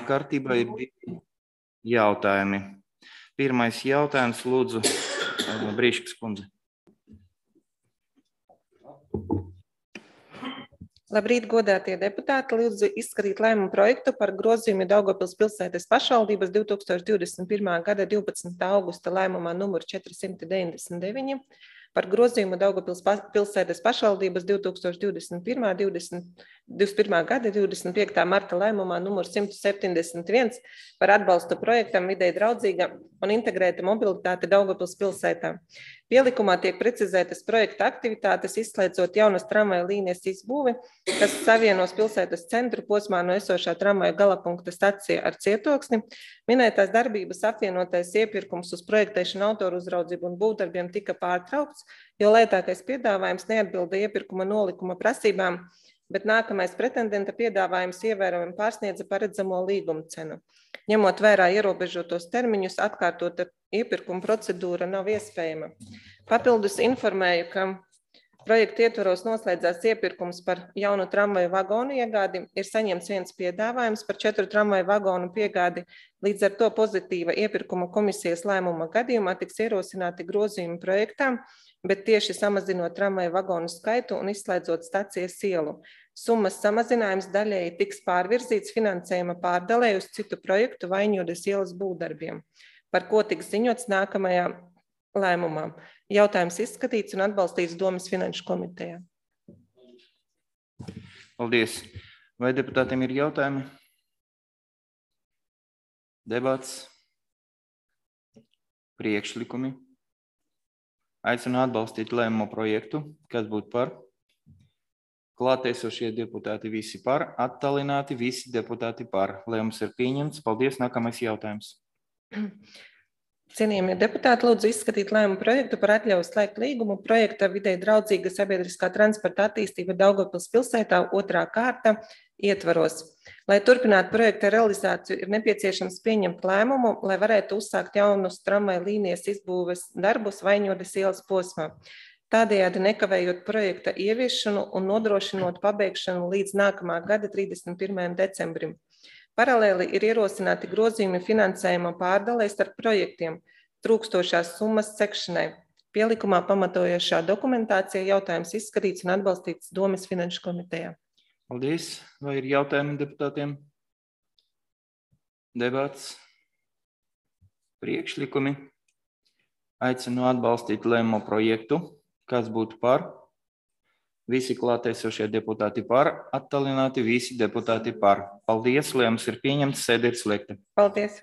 Kārtībā ir divi jautājumi. Pirmais jautājums, lūdzu, Brīškas kundze. Labrīt, godātie deputāti! Lūdzu izskatīt lēmumu projektu par grozījumu Daugavpils pilsētas pašvaldības 2021. gada 12. augusta lēmumā numur 499 par grozījumu Daugavpils pilsētas pašvaldības 2021. gada 25. marta lēmumā numur 171 par atbalstu projektam videi draudzīga un integrēta mobilitāte Daugavpils pilsētā. Pielikumā tiek precizētas projekta aktivitātes, izslēdzot jaunas tramvaju līnijas izbūvi, kas savienos pilsētas centru posmā no esošā tramvaju galapunkta stacija ar Cietoksni. Minētās darbības apvienotais iepirkums uz projektēšanu, autoru uzraudzību un būvdarbiem tika pārtraukts, jo lētākais piedāvājums neatbilda iepirkuma nolikuma prasībām, bet nākamais pretendenta piedāvājums ievērojami pārsniedza paredzamo līguma cenu. Ņemot vērā ierobežotos termiņus, atkārtota iepirkuma procedūra nav iespējama. Papildus informēju, ka projekta ietvaros noslēdzās iepirkums par jaunu tramvaju vagonu iegādi, ir saņemts viens piedāvājums par 4 tramvaju vagonu piegādi, līdz ar to pozitīva iepirkuma komisijas lēmuma gadījumā tiks ierosināti grozījumi projektām, bet tieši samazinot tramvaju vagonu skaitu un izslēdzot stacijas ielu. Summas samazinājums daļēji tiks pārvirzīts finansējuma pārdalē uz citu projektu Vaņodas ielas būvdarbiem, par ko tiks ziņots nākamajā lēmumā. Jautājums izskatīts un atbalstīts Domes finanšu komitejā. Paldies. Vai deputātiem ir jautājumi? Debats? Priekšlikumi? Aicinu atbalstīt lēmumu projektu. Kas būtu par? Klātesošie deputāti visi par, attālināti visi deputāti par. Lēmums ir pieņemts. Paldies. Nākamais jautājums. Cienījamie deputāti, lūdzu izskatīt lēmumu projektu par atļauju slēgt līgumu projekta videi draudzīga sabiedriskā transporta attīstība Daugavpils pilsētā 2. kārta ietvaros. Lai turpinātu projekta realizāciju, ir nepieciešams pieņemt lēmumu, lai varētu uzsākt jaunus tramvaju līnijas izbūves darbus Vaņodas ielas posmā. Tādējādi nekavējot projekta ieviešanu un nodrošinot pabeigšanu līdz nākamā gada 31. decembrim. Paralēli ir ierosināti grozījumi finansējuma pārdalē starp projektiem, trūkstošās summas sekšanai. Pielikumā pamatojošā dokumentācija jautājums izskatīts un atbalstīts Domes finanšu komitejā. Paldies. Vai ir jautājumi deputātiem? Debats? Priekšlikumi? Aicinu atbalstīt lēmumu projektu. Kas būtu par? Visi klātesošie deputāti par, attālināti visi deputāti par. Paldies, lēmums ir pieņemts, sēde ir slēgta. Paldies.